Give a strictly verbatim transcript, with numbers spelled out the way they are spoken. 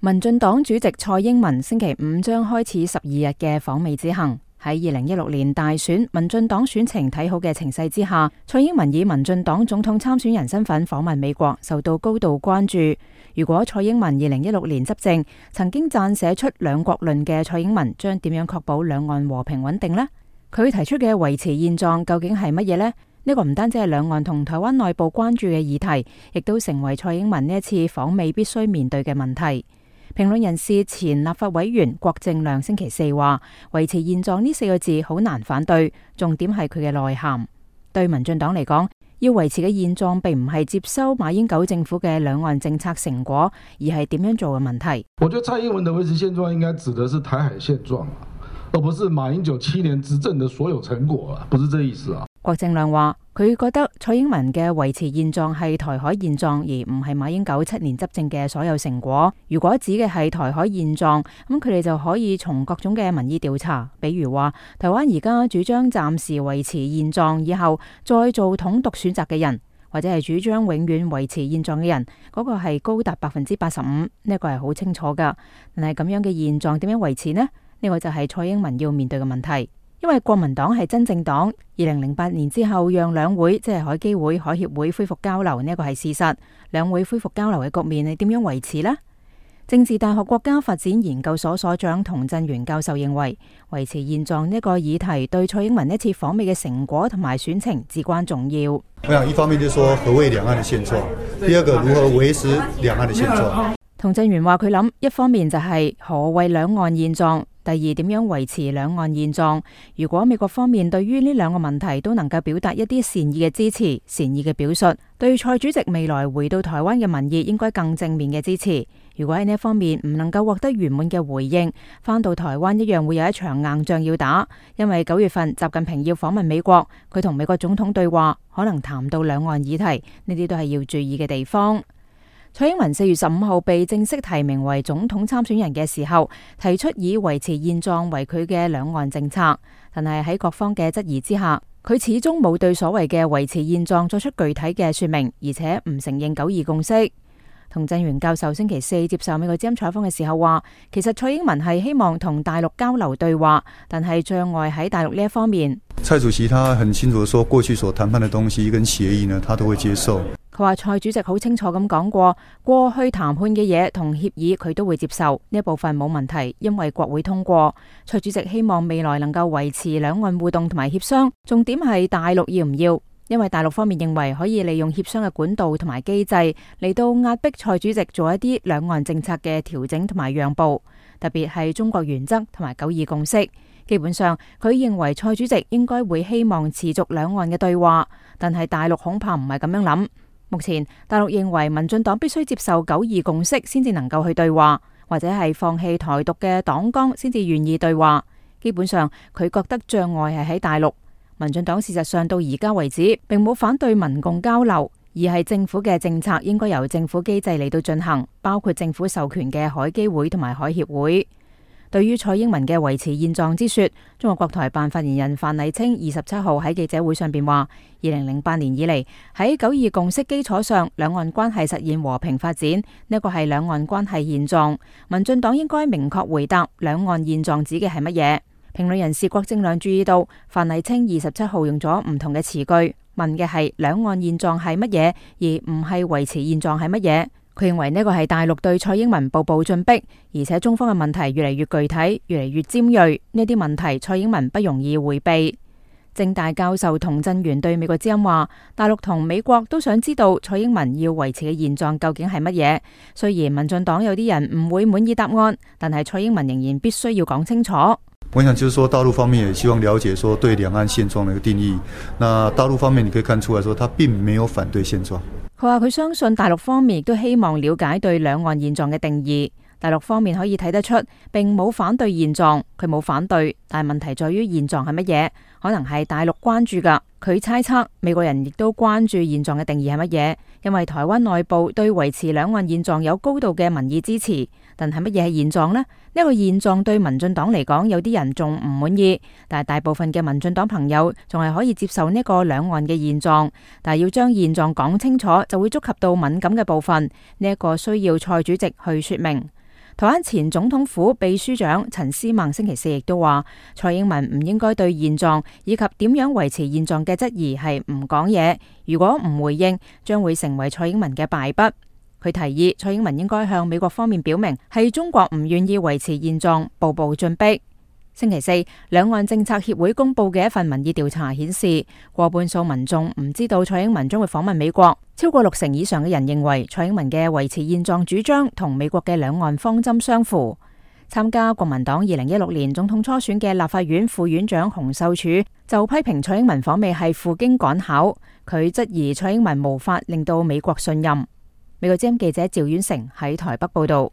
民進黨主席蔡英文星期五將開始十二日嘅訪美之行。喺二零一六年大選民進黨選情睇好嘅情勢之下，蔡英文以民進黨總統參選人身份訪問美國，受到高度關注。如果蔡英文二零一六年執政，曾經撰寫出兩國論嘅蔡英文，將點樣確保兩岸和平穩定呢？佢提出嘅維持現狀究竟係乜嘢呢？呢個唔單止係兩岸同台灣內部關注嘅議題，亦都成為蔡英文呢一次訪美必須面對嘅問題。評論人士前立法委員郭正亮星期四話：維持現狀呢四個字好難反對，重點係佢嘅內涵。對民進黨嚟講，要維持嘅現狀並唔係接收馬英九政府嘅兩岸政策成果，而係點樣做嘅問題。我覺得蔡英文的維持現狀應該指的是台海現狀，而不是馬英九七年執政的所有成果，不是這意思啊。郭正亮話：佢覺得蔡英文嘅維持現狀係台海現狀，而唔係馬英九七年執政嘅所有成果。如果指嘅係台海現狀，咁佢哋就可以從各種嘅民意調查，比如話台灣而家主張暫時維持現狀，以後再做統獨選擇嘅人，或者係主張永遠維持現狀嘅人，嗰個係高達百分之八十五，呢個係好清楚噶。但係咁樣嘅現狀點樣維持呢？呢個就係蔡英文要面對嘅問題。因為國民黨係真正黨，二零零八年之後讓兩會即係海基會、海協會恢復交流，呢個係事實。兩會恢復交流嘅局面係點樣維持呢？政治大學國家發展研究所所長童振源教授認為，維持現狀呢個議題對蔡英文呢次訪美嘅成果同埋選情至關重要。我想一方面就是說何謂兩岸嘅現狀，第二個如何維持兩岸嘅現狀。童振源話佢諗，一方面就係何謂兩岸現狀，第二點樣維持兩岸現狀。如果美國方面對於呢兩個問題都能夠表達一啲善意嘅支持、善意嘅表述，對蔡主席未來回到台灣嘅民意應該更正面嘅支持。如果喺呢一方面唔能夠獲得圓滿嘅回應，返到台灣一樣會有一場硬仗要打。因為九月份習近平要訪問美國，佢同美國總統對話，可能談到兩岸議題，呢啲都係要注意嘅地方。蔡英文四月十五號被正式提名為總統參選人嘅時候，提出以維持現狀為佢嘅兩岸政策，但係喺各方嘅質疑之下，佢始終冇對所謂嘅維持現狀作出具體嘅說明，而且唔承認九二共識。童振源教授星期四接受美國之音採訪嘅時候話，其實蔡英文係希望同大陸交流對話，但係障礙喺大陸呢一方面。蔡主席他很清楚說，過去所談判的東西跟協議呢，他都會接受。佢話蔡主席好清楚咁講過，過去談判嘅嘢同協議佢都會接受，呢一部分冇問題，因為國會通過。蔡主席希望未來能夠維持兩岸互動同埋協商，重點係大陸要唔要，因為大陸方面認為可以利用協商嘅管道同埋機制嚟到壓迫蔡主席做一啲兩岸政策嘅調整同埋讓步，特別係中國原則同埋九二共識。基本上佢認為蔡主席應該會希望持續兩岸嘅對話，但係大陸恐怕唔係咁樣諗。目前大陸認為民進黨必須接受九二共識先至能夠去對話，或者係放棄台獨嘅黨綱先至願意對話。基本上佢覺得障礙係喺大陸。民進黨事實上到而家為止並冇反對民共交流，而係政府嘅政策應該由政府機制嚟到進行，包括政府授權嘅海基會同埋海協會。對於蔡英文嘅維持現狀之說，中國國台辦發言人范麗清二十七號喺記者會上邊話：二零零八年以嚟喺九二共識基礎上，兩岸關係實現和平發展，呢個係兩岸關係現狀。民進黨應該明確回答兩岸現狀指嘅係乜嘢。評論人士郭正亮注意到，范麗清二十七號用咗唔同嘅詞句，問嘅係兩岸現狀係乜嘢，而唔係維持現狀係乜嘢。佢認為呢個係大陸對蔡英文步步進逼，而且中方嘅問題越嚟越具體，越嚟越尖銳。呢啲問題蔡英文不容易回避。政大教授童振源對美國之音話：大陸同美國都想知道蔡英文要維持嘅現狀究竟係乜嘢。雖然民進黨有啲人唔會滿意答案，但係蔡英文仍然必須要講清楚。我想就是說，大陸方面也希望了解說對兩岸現狀的一個定義。那大陸方面你可以看出來說，他並沒有反對現狀。佢話佢相信大陸方面亦都希望了解對兩岸現狀嘅定義。大陸方面可以睇得出，並冇反對現狀，佢冇反對，但係問題在於現狀係乜嘢？可能係大陸關注噶。佢猜測美國人亦都關注現狀嘅定義係乜嘢，因為台灣內部對維持兩岸現狀有高度嘅民意支持。但係乜嘢係現狀呢？呢個現狀對民進黨嚟講，有啲人仲唔滿意，但係大部分嘅民進黨朋友仲係可以接受呢個兩岸嘅現狀。但係要將現狀講清楚，就會觸及到敏感嘅部分，呢一個需要蔡主席去說明。台灣前總統府秘書長陳思孟星期四亦都話，蔡英文唔應該對現狀以及點樣維持現狀嘅質疑係唔講嘢，如果唔回應，將會成為蔡英文嘅敗筆。佢提議蔡英文應該向美國方面表明，係中國唔願意維持現狀，步步進逼。星期四，兩岸政策協會公布嘅一份民意調查顯示，過半數民眾唔知道蔡英文將會訪問美國，超過六成以上嘅人認為蔡英文嘅維持現狀主張同美國嘅兩岸方針相符。參加國民黨二零一六年總統初選嘅立法院副院長洪秀柱就批評蔡英文訪美係赴京趕考，佢質疑蔡英文無法令到美國信任。美國之音記者趙婉成喺台北報道。